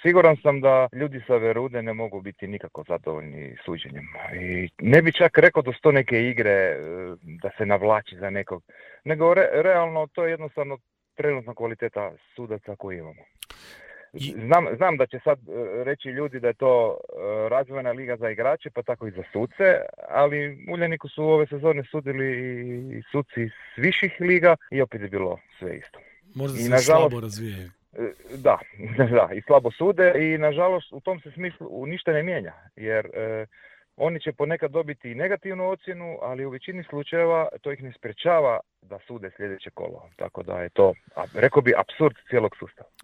Siguran sam da ljudi sa Verude ne mogu biti nikako zadovoljni suđenjem. I ne bi čak rekao da su to neke igre, da se navlači za nekog, nego realno to je jednostavno trenutna kvaliteta sudaca koju imamo. Znam da će sad reći ljudi da je to razvojna liga za igrače, pa tako i za suce, ali Uljaniku su ove sezone sudili i suci s viših liga i opet je bilo sve isto. Možda se slabo razvijaju. Da, i slabo sude i nažalost u tom se smislu ništa ne mijenja, jer oni će ponekad dobiti i negativnu ocjenu, ali u većini slučajeva to ih ne sprečava da sude sljedeće kolo. Tako da je to, rekao bi, apsurd cijelog sustava.